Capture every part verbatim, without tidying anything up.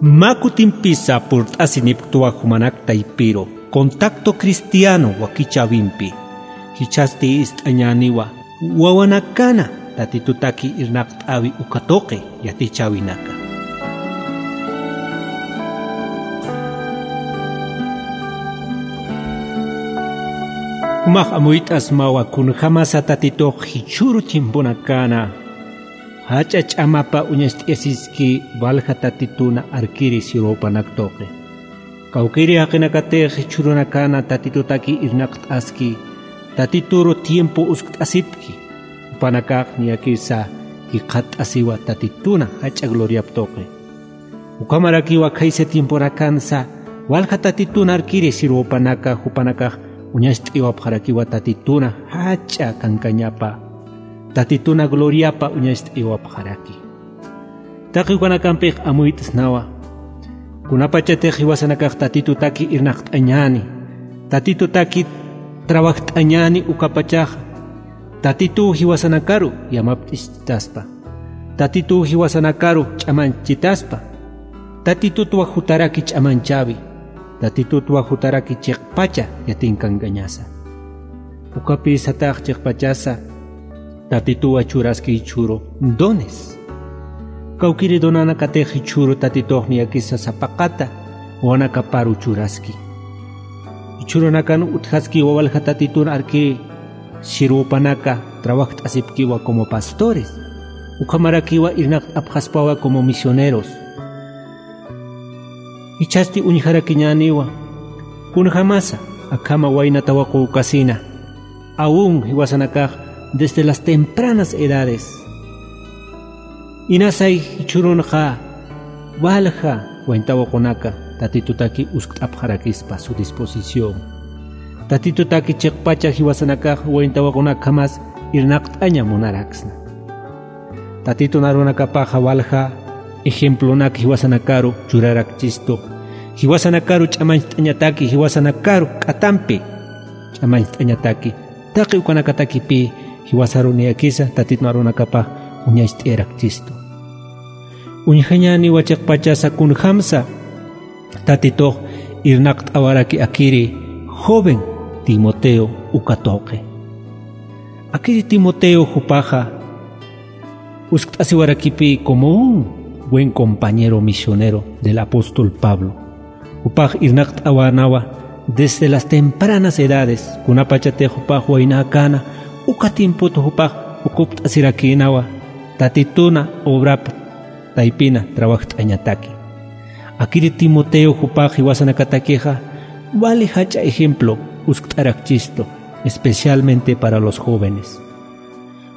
Mä kutimpisa purt'asinipktwa jumanak taypiru Contacto Cristiano wakichäwimpi. Jichhasti ist'añäniwa wawanakana Tatitutaki irnaqt'äwi uka tuqi yatichäwinaka. Jumax amuyt'asmawa kunjämasa Tatitux jichhüru tiemponakana jach'a ch'amapa uñacht'ayasiski walja Tatituna arkiri sirwawpanak tuqi. Kawkïri jaqinakatix jichhürunakana Tatitutaki irnaqt'aski, Tatituru tiempo uskt'asipki, jupanakax niyakisa jikxatt'asiwa Tatituna jach'a gloriap tuqi. Ukhamarakiwa khaysa tiemponakansa walja Tatitun arkiri sirwawpanaka jupanakax uñacht'ayiwapxarakiwa Tatituna jach'a kankañapa, Tatituna gloriapa uñacht'ayiwapxaraki. Taqi ukanakampix amuyt'snawa. Kunapachatix jiwasanakax Tatitutaki irnaqt'añäni, Tatitutaki trabajt'añäni ukapachaxa, Tatituw jiwasanakaru yamapt'ischitaspa, Tatituw jiwasanakaru ch'amanchitaspa, Tatitutwa jutaraki ch'amanchäwi, Tatitutwa jutaraki chiqpacha yatinkankañasa. Ukapï satax chiqpachasa Tatituwa churaski jichhüru dones. Kawkïri donanakatix jichhüru Tatitux niyakisa sapaqata wawanakaparu churaski. Jichhürunakan utjaskiwa walja Tatitun arkiri sirwawpanaka trabajt'asipkiwa como pastores. Ukhamarakiwa irnaqt'apxaspawa como misioneros. Jichhasti uñjarakiñäniwa, kunjämasa akhama wayna tawaqu ukasina, aun jiwasanakax desde las tempranas edades. Inasay jichhürunxa walja wayna tawaqunaka Tatitutaki uskt'apxarakispa su disposición. Tatitutaki chiqpacha jiwasanakax wayna tawaqunakjamas irnaqt'aña munaraksna. Tatitun arunakapaxa walja ejemplonak jiwasanakaru churarakchistu. Jiwasanakaru ch'amancht'añataki, jiwasanakaru k'atampi ch'amancht'añataki. Taqi ukanakatakipï jiwasaru niyakisa Tatitun arunakapax uñacht'ayarakchistu. Uñjañäniwa chiqpachasa kunjämsa Tatitux irnaqt'awaraki akiri joven Timoteo uka tuqi. Akiri Timoteo jupaxa uskt'asiwarakipï como un buen compañero misionero del apóstol Pablo. Jupax irnaqt'awänawa desde las tempranas edades, kunapachatix jupax waynäkäna, uka tiempot jupax ukupt'asirakïnawa Tatituna obrap taypina trabajt'añataki. Akiri Timoteo jupax jiwasanakatakixa wali jach'a ejemplo uskt'arakchistu, especialmente para los jóvenes.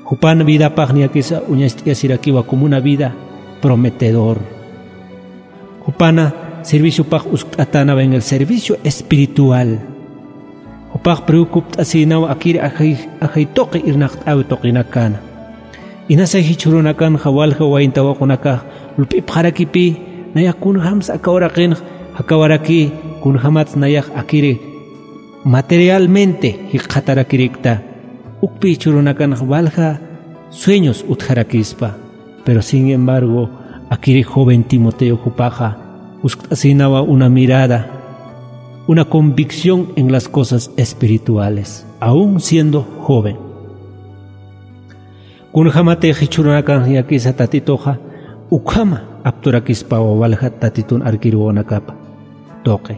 Jupan vidapax niyakisa uñacht'ayasirakiwa como una vida prometedor. Jupana serviciopax uskt'atänawa en el servicio espiritual. Jupax preocupt'asïnawa akiri ajay, ajay tuqi irnaqt'äwi tuqinakana. Inasay jichhürunakanxa walja wayna tawaqunakax lup'ipxarakipï, nayax kunjämsa aka uraqinx jakawarakï, kunjämats nayax akiri materialmente jikxatarakirikta. Ukpï jichhürunakanxa walja sueños utjarakispa. Pero sin embargo, akiri joven Timoteo jupaxa uskt'asïnawa una mirada, una convicción en las cosas espirituales, aun siendo joven. Kunjämatix jichhürunakan niyakisa Tatituxa ukhama apturakispawa walja Tatitun arkiri wawanakapa tuqi.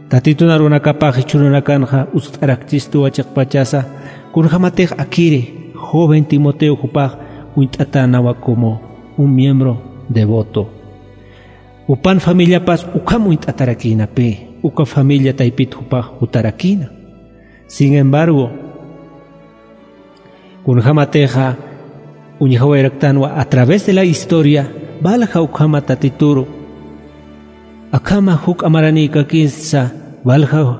Tatitun arunakapax jichhürunakanxa uskt'arakchistuwa chiqpachasa, kunjämatix akiri joven Timoteo jupax uñt'atänawa como un miembro devoto. Jupan familiapas ukham uñt'atarakïnapï, uka familia taypit jupax jutarakïna. Sin embargo, kunjämatixa uñjawayaraktanwa a través de la historia, walja ukhama Tatituru akhama juk'a maranïkakisa, walja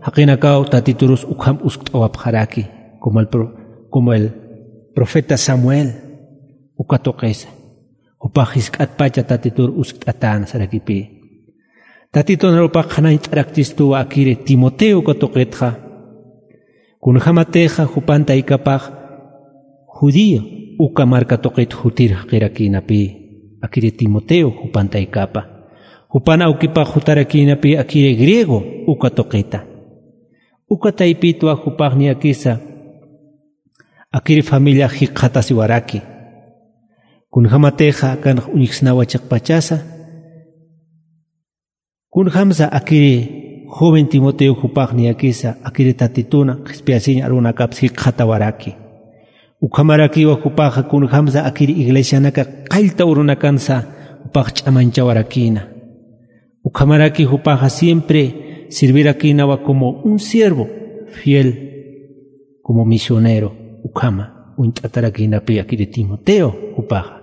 jaqinakaw Tatiturus ukham uskt'awapxaraki, como el pro-, como el profeta Samuel, uka tuqisa. Jupax jisk'atpacha Tatitur uskt'atäna sarakipï. Tatitun arupax qhanañt'arakchistuwa akiri Timoteo uka tuqitxa. Kunjämatixa jupan taykapax judío uka marka tuqit jutir jaqirakïnapï, akiri Timoteo jupan taykapa. Jupan awkipax jutarakïnapi akiri griego uka tuqita. Uka taypitwa jupax niyakisa akiri familiax jikxatasiwaraki. Kunjämatixa akanx uñjsnawa chiqpachasa, kunjämsa akiri joven Timoteo jupax niyakisa akiri Tatituna qhispiyasiñ arunakaps jikxatawaraki. Ukhamarakiwa jupaxa kunjämsa akiri iglesianaka qallta urunakansa jupax ch'amañchawarakïna. Ukhamaraki jupaxa siempre sirvirakïnawa como un siervo fiel, como misionero, ukhama uñt'atarakïnapi akiri Timoteo jupaxa.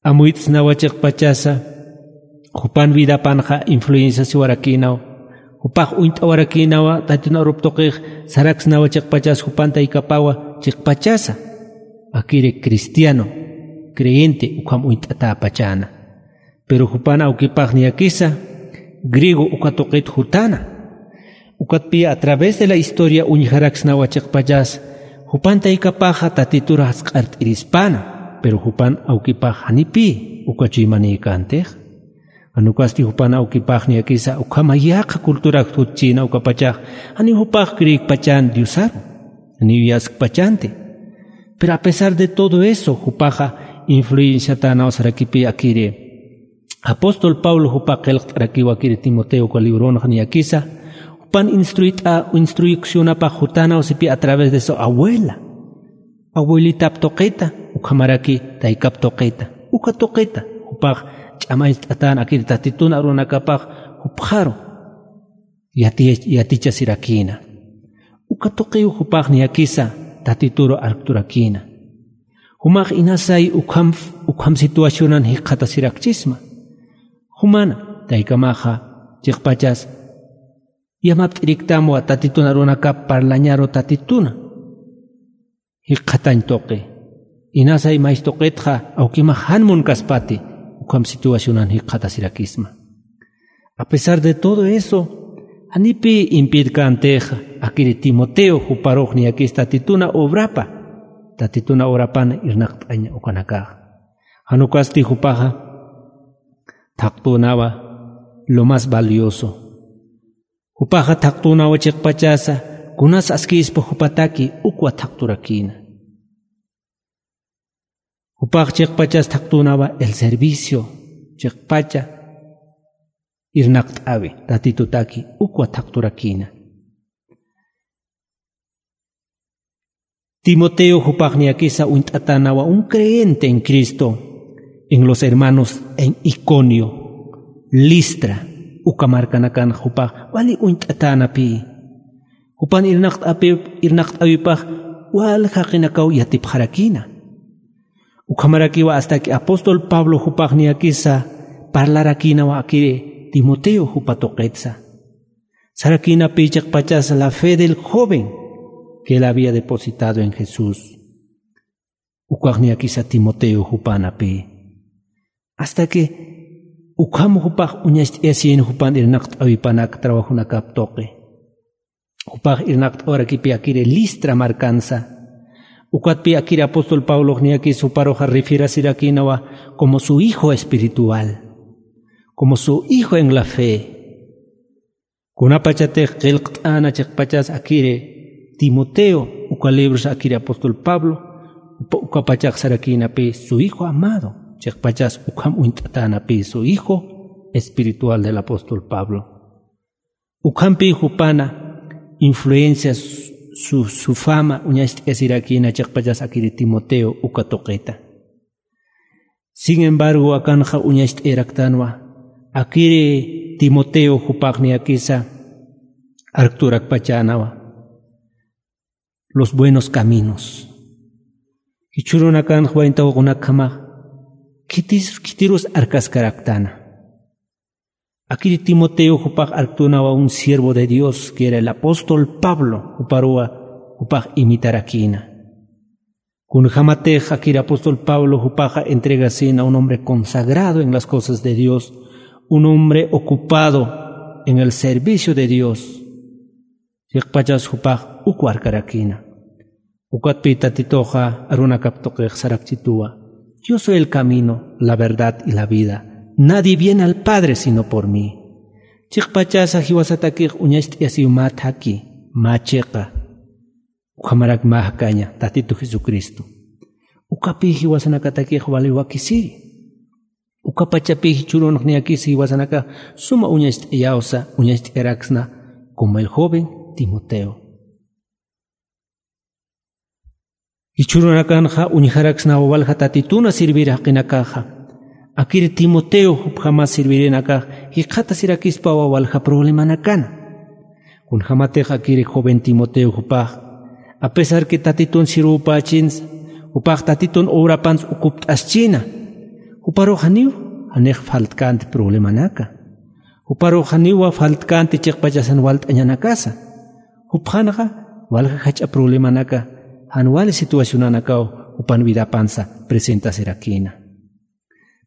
Amuyt'snawa chiqpachasa, jupan vidapanxa influenciasiwarakïnaw, jupax uñt'awarakïnawa, Tatitun arup tuqix saraksnawa chiqpachas jupan taykapawa chiqpachasa, akiri cristiano, creyente, ukham uñt'atäpachäna. Pero jupan awkipax niyakisa griego uka tuqit jutäna. Ukatpï a través de la historia uñjaraksnawa chiqpachas, jupan taykapaxa Tatitur jasq'art'irispäna, pero jupan awkipax janipï uka chuymanïkäntix. Jan ukasti jupan awkipax niyakisa ukhama yaqha culturax jutchïna ukapachax, janiw jupax creekpachän Diosaru, janiw yaskpachänti. Pero a pesar de todo eso, jupaxa influenciatänaw sarakipï akiri. Apóstol Pablo jupax qillqt'arakiw akiri Timoteo uka libronxa niyakisa, jupan instruit'a-, instruccionapax jutänaw sipï a través de su abuela. Abuelitap tuqita, ukhamaraki taykap tuqita, uka tuqita, jupax ch'amañcht'atän akiri Tatitun arunakapax jupxaru yati-, yatichasirakïna. Uka tuqiw jupax niyakisa Tatituru arkt'urakïna. Jumax inasay ukham, ukham situacionan jikxatasirakchisma. Jumana, taykamaxa, chiqpachas, yamapt'iriktamwa Tatitun arunakap parlañaru Tatituna jikxatañ tuqi. Inasay mays tuqitxa, awkimax jan munkaspati, ukham situacionan jikxatasirakisma. A pesar de todo eso, janipï impidkäntixa, akiri Timoteo juparux niyakis Tatituna obrapa, Tatituna obrapan irnaqt'añ ukanakaxa. Jan ukasti jupaxa thaqtünawa lo más valioso. Jupaxa thaqtünawa chiqpachasa, kunas askïspa jupataki ukwa thaqt'urakïna. Jupax chiqpachas thaqtünawa el servicio, chiqpacha irnaqt'äwi, Tatitutaki ukwa thaqt'urakïna. Timoteo jupax niyakisa uñt'atänawa un creyente en Cristo, en los hermanos en Iconio, Listra, uka markanakan jupax wali uñt'atänapï. Jupan irnaqt'api-, irnaqt'äwipax wal jaqinakaw yatipxarakïna. Ukhamarakiwa hasta que apóstol Pablo jupax niyakisa parlarakïnawa akiri Timoteo jupa tuqitsa. Sarakïnapï chiqpachas la fe del joven que él había depositado en Jesús. Ukax niyakisa Timoteo jupänapï. Hasta que ukham jupax uñacht'ayasïn jupan irnaqt'äwipanak trabajunakap tuqi. Jupax irnaqt'awarakipï akiri Listra markansa. Ukatpï akiri apóstol Pablox niyakis juparuxa refierasirakïnawa como su hijo espiritual, como su hijo en la fe. Kunapachatix qillqt'äna chiqpachas akiri Timoteo, uka libros akiri apóstol Pablo, upa-, ukapachax sarakïnapï su hijo amado, chiqpachas ukham uñt'atänapï su hijo espiritual del apóstol Pablo. Ukhampï jupana influencia su, su, su fama uñacht'ayasirakïna chiqpachas akiri Timoteo uka tuqita. Sin embargo, akanxa uñacht'ayaraktanwa, akiri Timoteo jupax niyakisa arkt'urakpachänawa los buenos caminos. Jichhürunakanxa wayn tawaqunakjamax khitis-, khitirus arkaskaraktana. Akiri Timoteo jupax arktünawa un siervo de Dios, que era el apóstol Pablo, juparuwa jupax imitarakïna. Kunjämatix akiri apóstol Pablo jupaxa entregasïna un hombre consagrado en las cosas de Dios, un hombre ocupado en el servicio de Dios. Chiqpachas jupax uk arkarakïna. Ukatpï Tatituxa arunakap tuqix sarakchituwa: Yo soy el camino, la verdad y la vida. Nadie viene al Padre sino por mí. Chiqpachasa jiwasatakix uñacht'ayasiw mä thaki, mä chiqa, ukhamarak mä jakaña Tatitu Jesucristo. Ukapï jiwasanakatakix wali wakisiri. Ukapachapï jichhürunx niyakisa jiwasanakax suma uñacht'ayawsa, uñacht'ayaraksna como el joven Timoteo. Jichhürunakanxa uñjaraksnawa walja Tatituna servir jaqinakaxa. Akiri Timoteo jupjamas servirinakax jikxatasirakispawa walja problemanakana. Kunjamatix akiri joven Timoteo jupax, a pesar que Tatitun sirwpachinsa, jupax Tatitun obrapans ukupt'aschina. Juparux janiw, janix faltkänti problemanaka. Juparux janiwa faltkänti chiqpachasan walt'añanakasa. Jupxanxa, walja jach'a problemanaka, jan wali situacionanakaw jupan vidapansa presentasirakïna.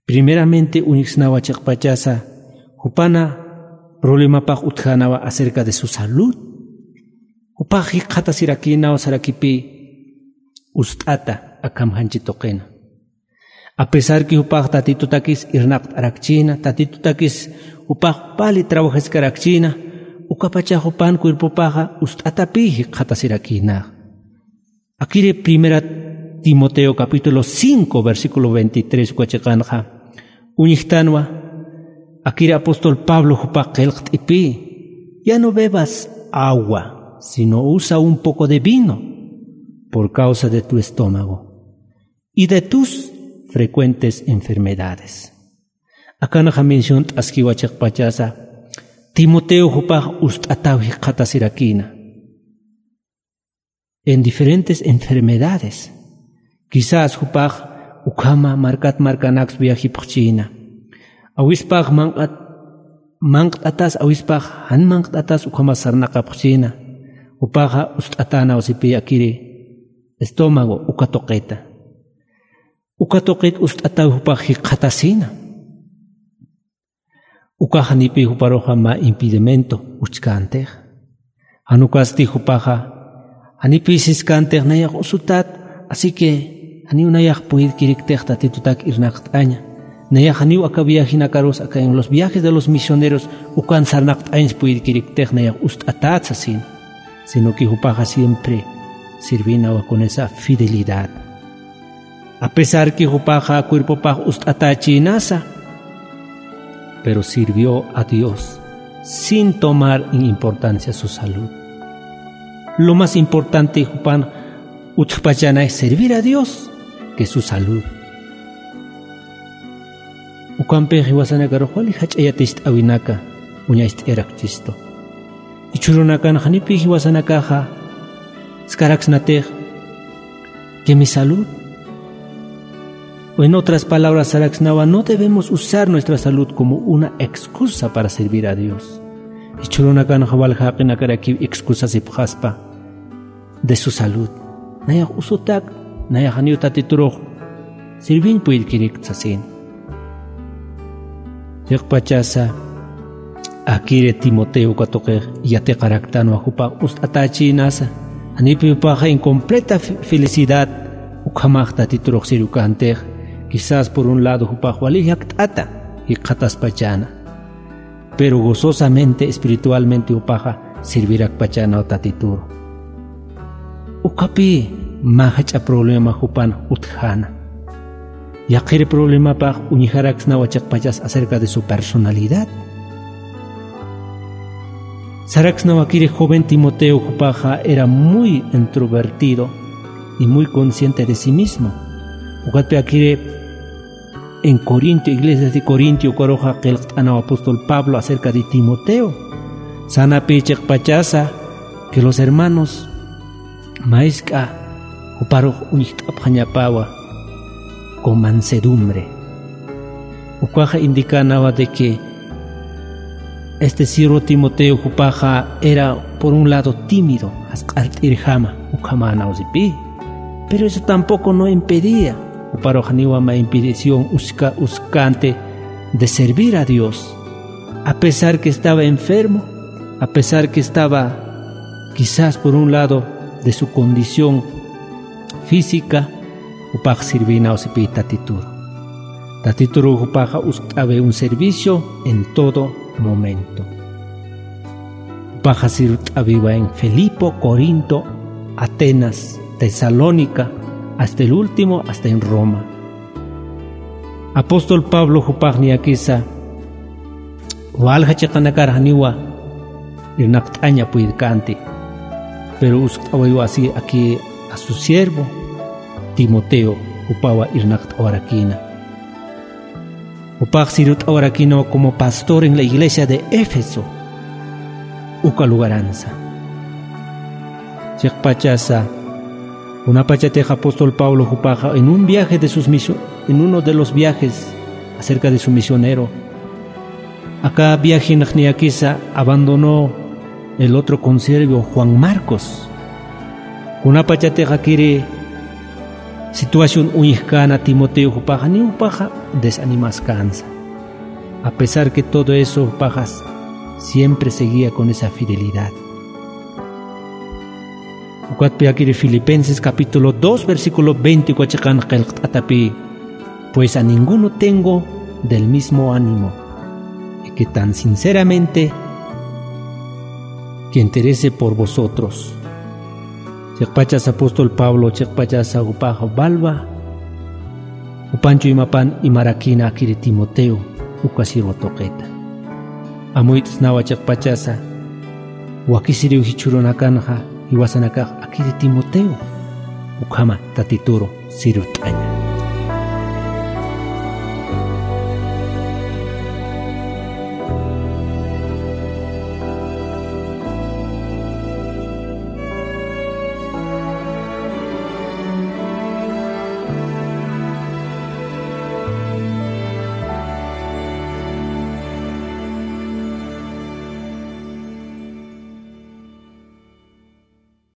Primeramente uñjsnawa chiqpachasa, jupana problemapax utjänawa acerca de su salud. Jupax jikxatasirakïnaw sarakipï ust'ata akham janchi tuqina. A pesar que jupax Tatitutakis irnaqt'arakchïna, Tatitutakis jupax pali trabajaskarakchïna, ukapachax jupan cuerpopaxa ust'atapï jikxatasirakïnax. Akiri Primera Timoteo capítulo cinco, versículo veintitrés uka chiqanxa, uñjtanwa, akiri apóstol Pablo jupax qillqt'ipï, ya no bebas agua, sino usa un poco de vino por causa de tu estómago y de tus frecuentes enfermedades. Akanxa menciont'askiwa chiqpachasa, Timoteo jupax ust'ataw jikxatasirakïna en diferentes enfermedades. Quizás jupax ukhama markat markanaks viajipxchïna. Awispax manq'at-, manq't'atas, awispax jan manq't'atas ukhama sarnaqapxchïna. Jupaxa ust'atänaw sipï akiri estómago uka tuqita. Uka tuqit ust'ataw jupax jikxatasïna. Ukax janipï juparuxa mä impedimento uchkantix. Jan ukasti jupaxa, janipï siskantix nayax usutat, así que janiw nayax puyirkiriktix Tatitutak irnaqt'aña. Nayax janiw aka viajenakarus, aka en los viajes de los misioneros, ukan sarnaqt'añs puyirkiriktix nayax ust'atat sasin. Sino que jupaxa siempre sirvinawa con esa fidelidad. A pesar que jupaxa cuerpopax ust'atächïnasa, pero sirvió a Dios sin tomar en importancia su salud. Lo más importante jupan utjpachana es servir a Dios que su salud. Ukampix jiwasanakarux wali jach'a yaticht'äwinaka uñacht'ayarakchistu. Jichhürunakan janipï jiwasanakaxa, skaraksnatix, que mi salud. O en otras palabras, saraksnawa, no debemos usar nuestra salud como una excusa para servir a Dios. Jichhürunakanxa walja jaqinakarakiw excusasipxaspa de su salud. Nayax usutak, nayax janiw Tatiturux sirviñ puyirkirikta sasin. Chiqpachasa, akiri Timoteo uka tuqix yatiqaraktanwa jupax ust'atächïnasa, janipï jupaxa en completa fe-, felicidad ukhamax Tatiturux sirvikantix, quizás por un lado jupax wali jakt'ata jikxataspachäna. Pero gozosamente, espiritualmente jupaxa servirakpachänaw Tatituru. Ukapï mä jach'a problema jupan utjäna. Yaqhir problemapax uñjaraksnawa chiqpachas acerca de su personalidad. Saraksnawa akiri joven Timoteo jupaxa era muy introvertido y muy consciente de sí mismo. Ukatpï akiri en Corinto, iglesias de Corinto, ukaruxa qillqt'anaw apóstol Pablo acerca de Timoteo. Sanapï chiqpachasa que los hermanos mä jisk'a juparux uñjt'apxañapäwa con mansedumbre. Ukaxa indicänawa de que este siervo Timoteo jupaxa era, por un lado, tímido, jasq'art'irjama, ukhamänaw sipï. Pero eso tampoco no impedía, juparux janiwa mä impedición uska-, uskänti de servir a Dios. A pesar que estaba enfermo, a pesar que estaba quizás por un lado de su condición física, jupax sirvïnaw sipï Tatituru. Tatituru jupaxa uskt'awi un servicio en todo momento. Jupaxa sirt'awiwa en Filipo, Corinto, Atenas, Tesalónica, hasta el último, hasta en Roma. Apóstol Pablo jupax niyakisa walja chiqanakar janiwa irnaqt'aña puydkänti. Pero uskt'awiwa así aquí a su siervo Timoteo, jupawa irnaqt'awarakïna. Jupax sirut'awarakïnawa como pastor en la iglesia de Éfeso, uka lugaransa. Chiqpachasa, kunapachatix apóstol Pablo jupaxa en un viaje de sus misio-, en uno de los viajes acerca de su misionero, aka viajenx niyakisa abandonó el otro consiervo Juan Marcos. Kunapachatix akiri situación uñjkäna Timoteo jupaxa, ni jupaxa desanimaskänsa. A pesar que todo eso, jupaxa siempre seguía con esa fidelidad. Ukatpi akiri Filipenses capítulo dos, versículo veinte, uka chiqan qillqt'atapï: Pues a ninguno tengo del mismo ánimo, y que tan sinceramente que interese por vosotros. Chiqpachas apóstol Pablo, chiqpachas jupax walwa, jupanchu imapan imarakïna akiri Timoteo, uka sirwa tuqita. Amuyt'snawa chiqpachasa, wakisiriw jichhürunakanxa, jiwasanakax akiri Timoteo, ukhama Tatituru sirut'aña.